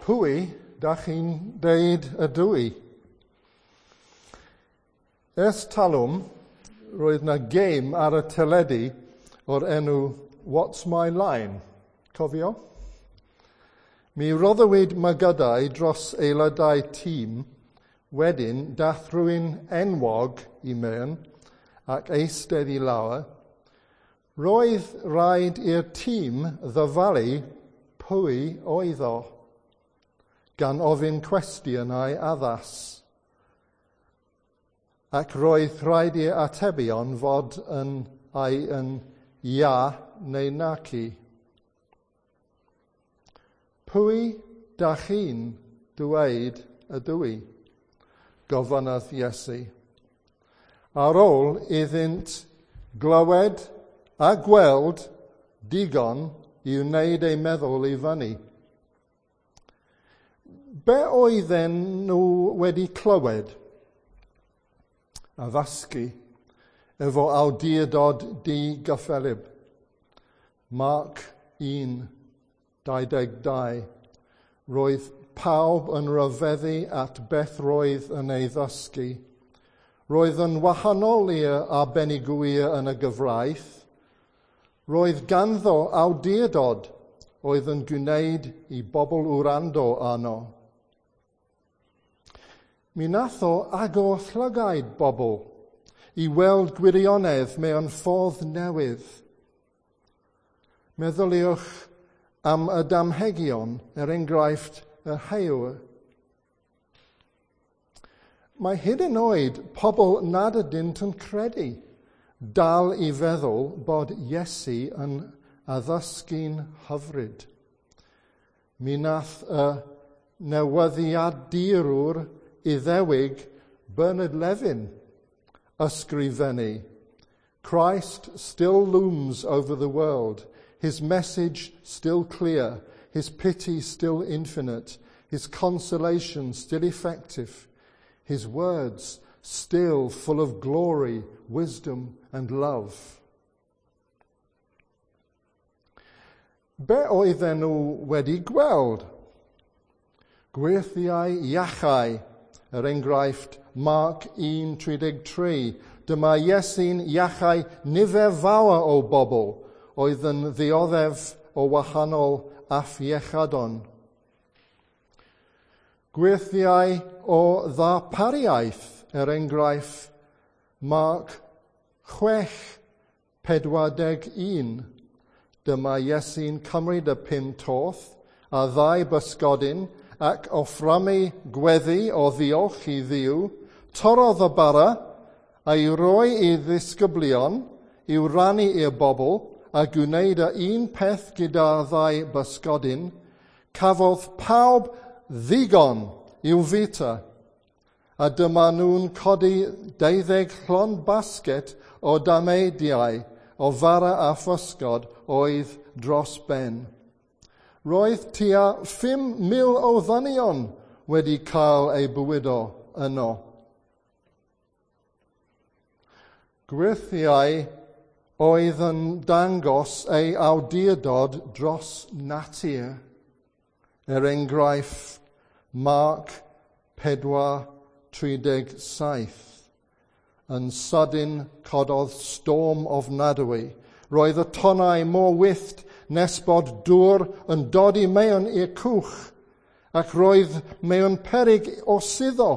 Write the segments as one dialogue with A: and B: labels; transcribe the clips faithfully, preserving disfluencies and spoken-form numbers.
A: Pwy dach chi'n deud ydw i? Ers talwm, roedd 'na gêm ar y teledu o'r enw What's My Line? Cofio? Mi roddwyd mygydau dros aelodau tîm, wedyn dath rhywun enwog i mewn ac eistedd i lawr. Roedd rhaid i'r tîm ddyfalu pwy oedd o, gan ofyn cwestiynau addas. Ac roedd rhaid i'r atebion fod yn ai yn ia neu naci. Pwy dach chi'n dweud ydw i? Gofynnodd Iesu. Ar ôl iddynt glywed a gweld digon i wneud eu meddwl i fyny. Be oedden nhw wedi clywed? Addysgu efo awdurdod digyffelyb. Marc un, dau ddeg dau. Roedd pawb yn rhyfeddu at beth roedd yn ei ddysgu. Roedd yn wahanol i'r arbenigwyr yn y gyfraith. Roedd ganddo awdurdod oedd yn gwneud i bobl wrando arno. Mi nath o agor llygaid bobl i weld gwirionedd mewn ffordd newydd. Meddyliwch am y damhegion, er enghraifft y heuwr. Mae hyd yn oed pobl nad ydynt yn credu dal i feddwl bod Iesu yn addysgu'n hyfryd. Mi nath y newyddiadurwr Iddewig Bernard Levin ysgrifennu, Christ still looms over the world, his message still clear, his pity still infinite, his consolation still effective, his words still full of glory, wisdom and love. Be oedden nhw wedi gweld? Gwyrthiau iachau, er enghraifft Marc un tri deg tri. Dyma Iesu'n iachau nifer fawr o bobl oedd yn ddioddef o wahanol afiechadon. Gwyrthiau o ddarpariaeth, er enghraifft Marc chwech pedwar deg un. Dyma Iesu'n cymryd y pum torth a ddau bysgodyn ac offrymu gweddi o ddiolch i Dduw, torrodd y bara a'i roi i ddisgyblion i'w rannu i'r bobl a gwneud y un peth gyda ddau bysgodyn, cafodd pawb ddigon i'w fwyta. A dyma nhw'n codi deuddeg llond basget o dameidiau o fara a physgod oedd dros ben. Roedd tua phum mil o ddynion wedi cael eu bwydo yno. Gwyrthiau oedd yn dangos ei awdurdod dros natur. Er enghraifft, Marc pedwar tri deg saith. Yn sydyn cododd storm ofnadwy. Roedd y tonnau mor wyllt nes bod dŵr yn dod i mewn i'r cwch, ac roedd mewn peryg o suddo.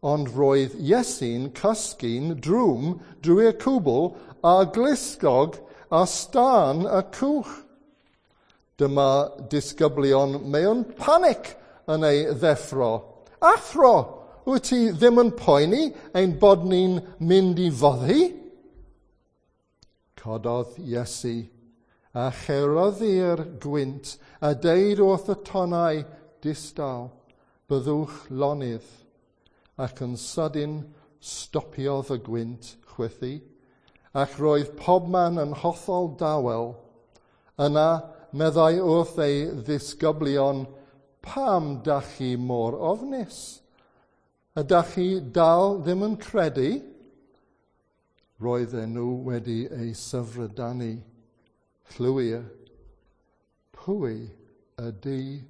A: Ond roedd Iesu'n cysgu'n drwm drwy'r cwbl a glusgog a stân y cwch. Dyma disgyblion mewn panic yn ei ddeffro. Athro, wyt ti ddim yn poeni ein bod ni'n mynd i foddi? Cododd Iesu a cheryddu'r gwynt a deud wrth y tonnau distaw, byddwch lonydd. Ac yn sydyn stopiodd y gwynt chwythu, ac roedd pobman yn hollol dawel. Yna meddai wrth ei ddisgyblion, pam dach chi mor ofnus? Ydach chi dal ddim yn credu? Roedden nhw wedi eu syfrdanu. Llwyr, pwy ydy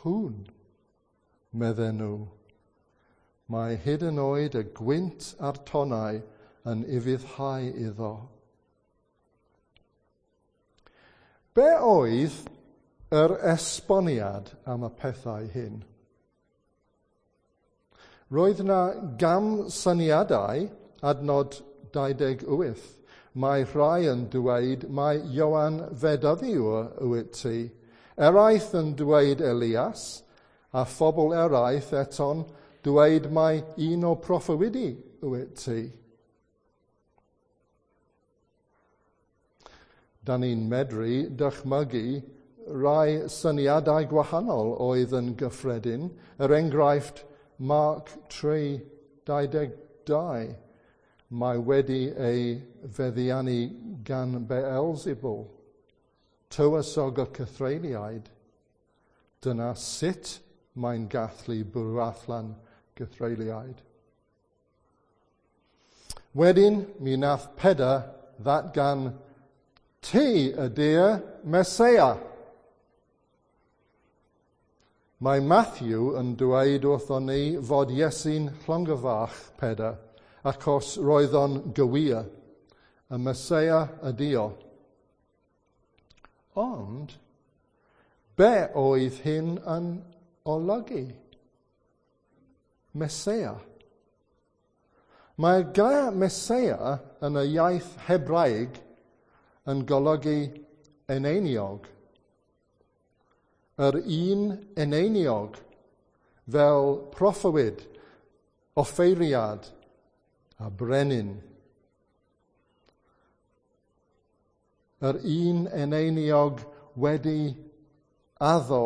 A: hwn? Medden nhw. Mae hyd yn oed y gwynt a'r tonnau yn ufuddhau iddo. Be oedd yr esboniad am y pethau hyn? Roedd yna gamsyniadau, adnod dau deg wyth. Mae rhai yn dweud mai Ioan Fedyddiwr wyt ti, eraill yn dweud Elias, a phobl eraill eto'n dweud mai un o proffwydi wyt ti. Da ni'n medru dychmygu rai syniadau gwahanol oedd yn gyffredin, er enghraifft Mark tri dau deg dau, mae wedi ei feddiannu gan Beelzebul, tywysog y cythreuliaid. Dyna sut mae'n gallu bwrw allan gythreuliaid. Wedyn, mi nath Pedr ddatgan, ti ydy'r Meseia. Mae Matthew yn dweud wrthon ni fod Iesu'n llongyfarch Pedr, achos roedd o'n gywir, y Meseia ydi o. Ond, be oedd hyn yn olygu? Meseia. Mae'r gair Meseia yn y iaith Hebraeg yn golygu eneiniog. Yr un eneiniog fel proffwyd, offeiriad a brenin. Yr un eneiniog wedi addo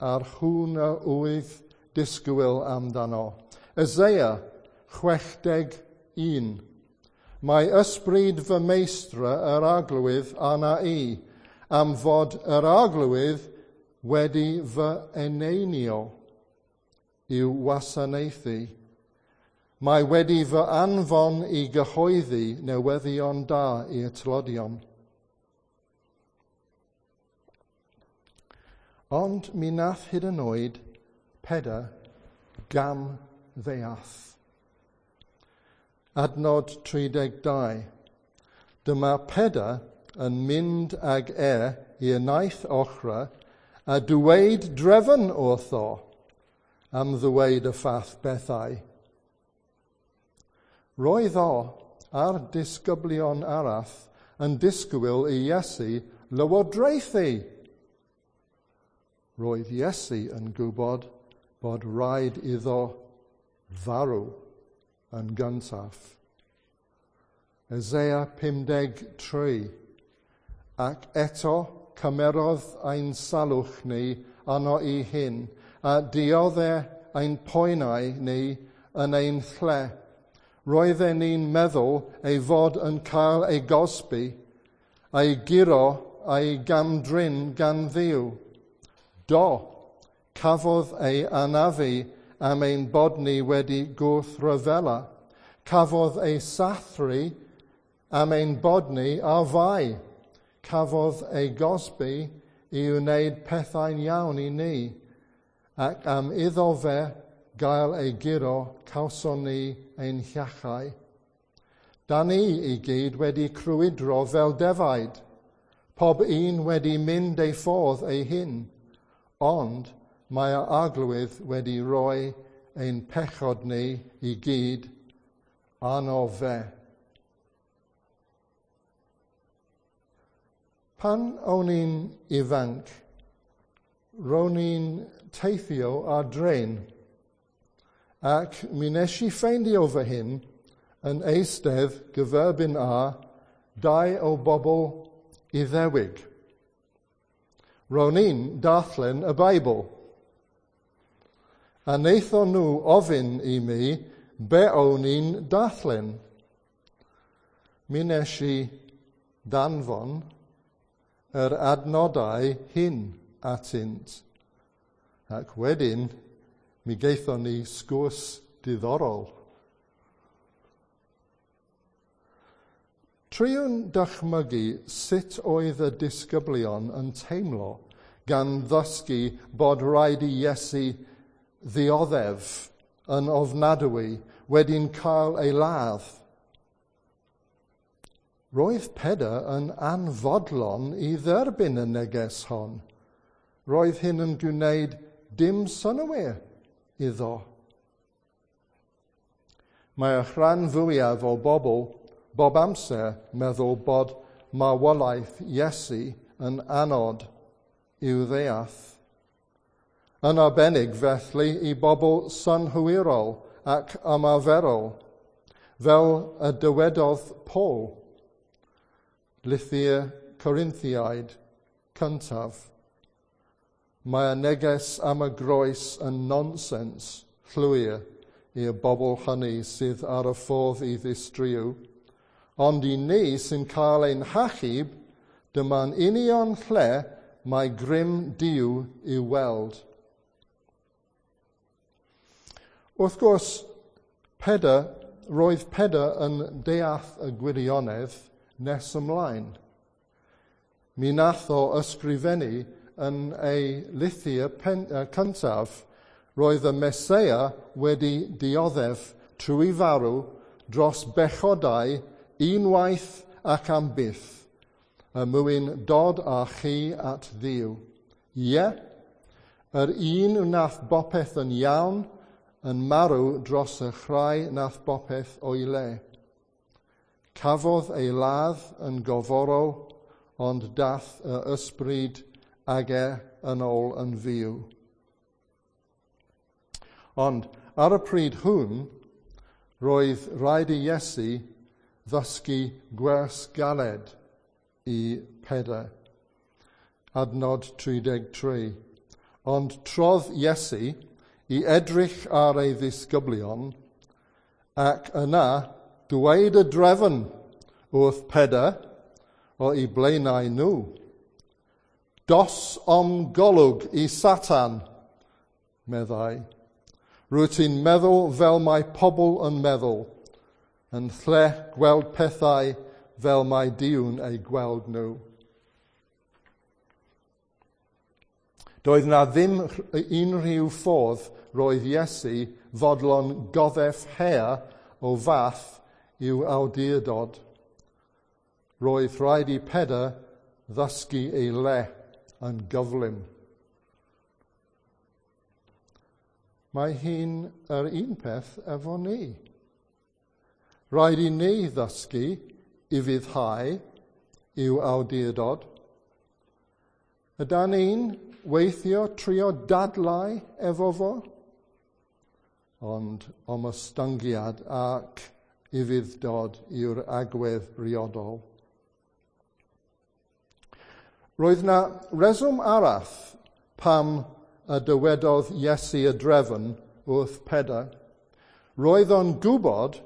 A: a'r hwn y oedd disgwyl amdano. Isaiah chwech deg un. Mae ysbryd fy meistr yr arglwydd arna i, am fod yr arglwydd wedi fy eneinio i'w wasanaethu. Mae wedi fy anfon i gyhoeddi newyddion da i'r tlodion. Ond mi nath hyd yn oed Pedr gam ddeall. Adnod tri deg dau. Dyma Pedr yn mynd ag e i'r naill ochr a dweud drefn wrtho am ddweud y fath bethau. Roedd o a'r disgyblion arall yn disgwyl i Iesu lywodraethu. Roedd Iesu yn gwybod bod rhaid iddo farw yn gyntaf. Isaiah pum deg tri. Ac eto cymerodd ein salwch ni arno i hyn, a diodde ein poenau ni yn ein lle. Roedden ni'n meddwl ei fod yn cael ei gosbi, ei guro a'i gamdrin gan Dduw. Do, cafodd ei anafu am ein bod ni wedi gwrthryfela. Cafodd ei sathru am ein bod ni ar fai. Cafodd ei gosbi i wneud pethau'n iawn i ni, ac am iddo fe gael ei guro, cawson ni ein hiachau. Da ni i gyd wedi crwydro fel defaid, pob un wedi mynd ei ffordd ei hun, ond mae'r arglwydd wedi rhoi ein pechod ni i gyd arno fe. Pan o'n i'n ifanc, ro'n i'n teithio ar dren, ac mi nes i ffeindio fy hun yn eistedd gyferbyn â dau o bobl Iddewig. Ro'n i'n darllen y Beibl, a wnaethon nhw ofyn i mi be o'n i'n darllen. Mi nes i danfon yr adnodau hyn atynt, ac wedyn mi gaethon ni sgwrs diddorol. Triwn dychmygu sut oedd y disgyblion yn teimlo gan ddysgu bod rhaid i Iesu ddioddef yn ofnadwy wedi'n cael ei ladd. Roedd Pedr yn anfodlon i dderbyn y neges hon. Roedd hyn yn gwneud dim synnwyr iddo. Mae'r rhan fwyaf o bobl bob amser meddwl bod marwolaeth Iesu yn anodd i'w ddeall. Yn arbennig felly i bobl synhwyrol ac ymarferol, fel y dywedodd Paul, Lythyr Corinthiaid cyntaf. Mae'r neges am y groes yn nonsens llwyr i'r bobl hynny sydd ar y ffordd i ddistriw, ond i ni sy'n cael ein hachub, dyma'n union lle mae grym Duw i'w weld. Wrth gwrs, Pedr, roedd Pedr yn deall y gwirionedd nes ymlaen. Mi nath o ysgrifennu yn ei lythyr pen, uh, cyntaf, roedd y Meseia wedi dioddef trwy farw dros bechodau unwaith ac am byth, er mwyn dod â chi at Dduw. Ie, yr un wnaeth bopeth yn iawn yn marw dros y rhai nath bopeth o'i le. Cafodd ei ladd yn goforol, ond dath y ysbryd ag e yn ôl yn fyw. Ond ar y pryd hwn, roedd rhaid i Iesu ddysgu gwers galed i Pedr. Adnod tri deg tri. Ond trodd Iesu i edrych ar ei ddisgyblion, ac yna dweud y drefn wrth Pedr o'i blaenau nhw. Dos o'm golwg i Satan, meddai. Rwyt ti'n meddwl fel mae pobl yn meddwl, yn lle gweld pethau fel mae Duw'n eu gweld nhw. Doedd na ddim unrhyw ffordd roedd Iesu fodlon goddef her o fath i'w awdurdod. Roedd rhaid i Pedr ddysgu ei le yn gyflym. Mae hi'n yr un peth efo ni. Rhaid i ni ddysgu i fyddhau i'w awdurdod. Ydan ni'n weithio trio dadlau efo fo? Ond omostyngiad ac ufudd-dod yw'r agwedd briodol. Roedd na reswm arall pam y dywedodd Iesu y drefn wrth Pedr. Roedd o'n gwybod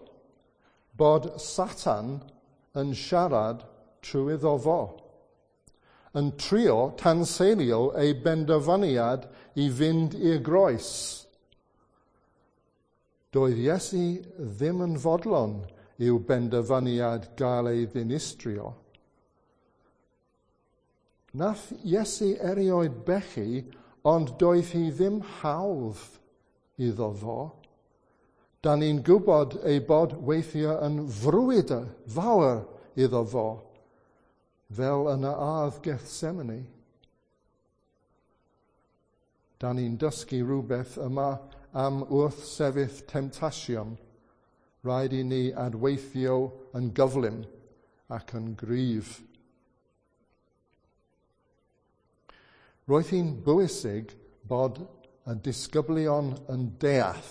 A: bod Satan yn siarad trwy iddo fo, yn trio tanseilio ei benderfyniad i fynd i'r groes. Doedd Iesu ddim yn fodlon i'w benderfyniad gael ei ddinistrio. Nath Iesu erioed bechu, ond doedd hi ddim hawdd iddo fo. Da ni'n gwybod ei bod weithiau yn frwydr fawr iddo fo, fel yn y ardd Gethsemane. Da ni'n dysgu rhywbeth yma am wrthsefyll temtasiwn. Rhaid i ni adweithio yn gyflym ac yn gryf. Roedd hi'n bwysig bod y disgyblion yn deall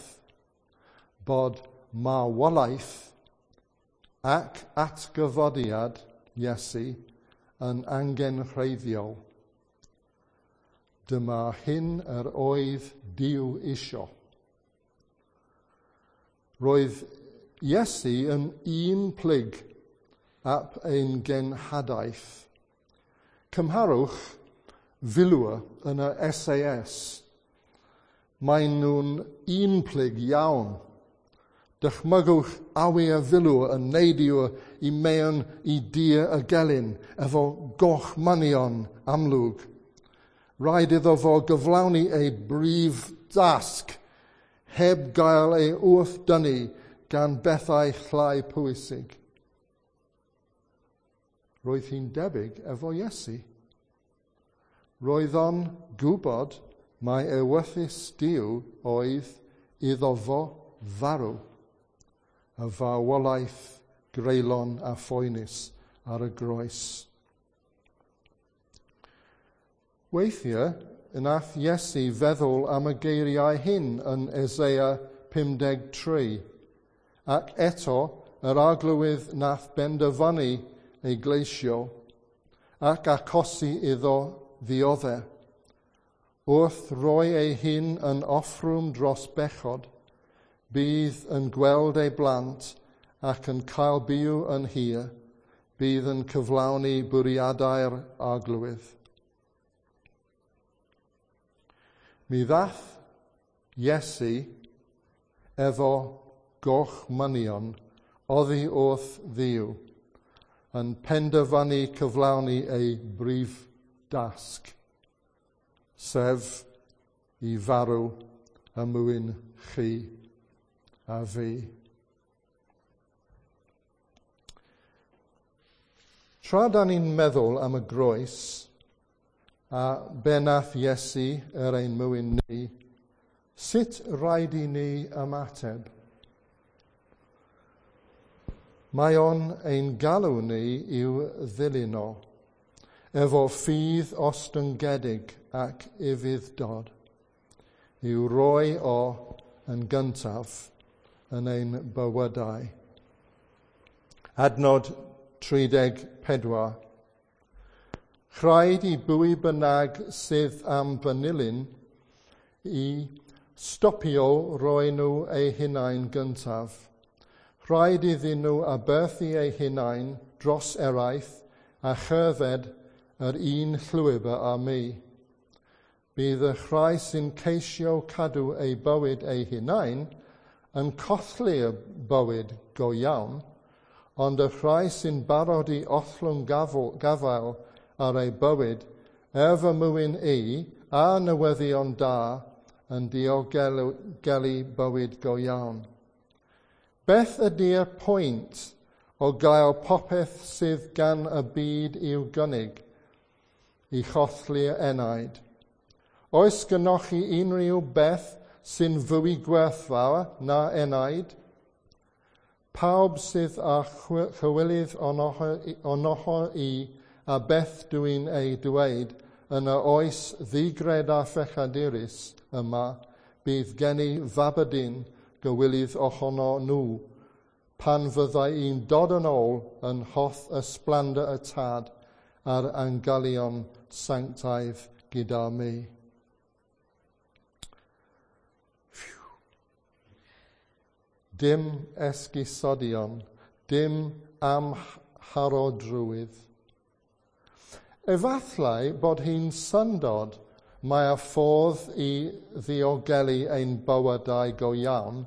A: bod marwolaeth ac atgyfodiad Iesu yn angenrheidiol. Dyma hyn yr oedd Duw isio. Roedd Iesu yn un plyg ap ein genhadaeth. Cymharwch filwyr yn y S A S. Maen nhw'n un plyg iawn. Dychmygwch awyr filwr yn neidio i mewn i dir y gelyn efo goch manion amlwg. Rhaid iddo fo gyflawni ei brif dasg heb gael ei wrthdynnu gan bethau llai pwysig. Roedd hi'n debyg efo Iesu. Roedd o'n gwybod mai ewyllys Duw oedd iddo fo farw, y farwolaeth greulon a phoenus ar y groes. Weithiau, nath Iesu feddwl am y geiriau hyn yn Eseia pum deg tri, ac eto yr arglwydd nath benderfynu ei gleisio ac achosi iddo ddioddef. Wrth roi ei hun yn offrwm dros bechod, bydd yn gweld ei blant ac yn cael byw yn hir, bydd yn cyflawni bwriadau'r arglwydd. Mi ddath Iesu efo gorchmynion oddi wrth Dduw, yn penderfynu cyflawni ei brif dasg, sef i farw y mwyn chi a fi. Tra da ni'n meddwl am y groes a be nath Iesu er ein mwyn ni, sut rhaid i ni ymateb? Mae o'n ein galw ni i'w ddilyn o, efo ffydd ostyngedig ac ufudd-dod, i'w roi o yn gyntaf yn ein bywydau. Adnod tri deg pedwar. Rhaid i bwy bynnag sydd am fy nilyn i stopio roi nhw eu hunain gyntaf. Rhaid iddyn nhw aberthu eu hunain dros eraill a cherdded yr un llwybr â mi. Bydd y rhai sy'n ceisio cadw eu bywyd eu hunain yn colli'r bywyd go iawn, ond y rhai sy'n barod i ollwng gafael ar eu bywyd, er fy mwyn i a newyddion da yn diogelu bywyd go iawn. Beth ydy'r pwynt o gael popeth sydd gan y byd i'w gynnig i cholli'r enaid? Oes gynnoch chi unrhyw beth sy'n fwy gwerthfawr na enaid? Pawb sydd â chywilydd onoho i a beth dwi'n ei dweud yn y oes ddigred a phechadurus yma, bydd gen i fabydyn gywilydd ohono nhw, pan fyddai i'n dod yn ôl yn holl ysblander y tad a'r angylion sanctaidd gyda mi. Dim esgusodion, dim amharodrwydd. Efallai bod hi'n syndod mae'r ffordd i ddiogelu ein bywydau go iawn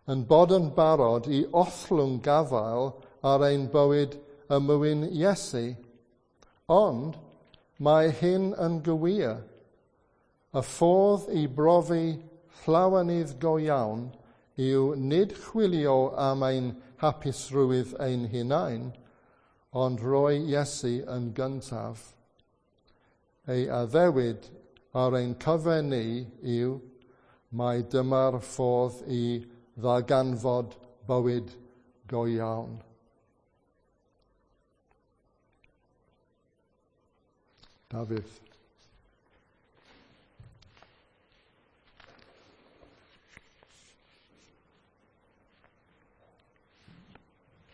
A: yn bod yn barod i ollwng gafael ar ein bywyd y mwyn Iesu. Ond mae hyn yn gywir. Y ffordd i brofi llawenydd go iawn yw nid chwilio am ein hapusrwydd ein hunain, ond rhoi Iesu yn gyntaf. Ei addewid ar ein cyfer ni yw mai dyma'r ffordd i ddarganfod bywyd go iawn. Dafydd.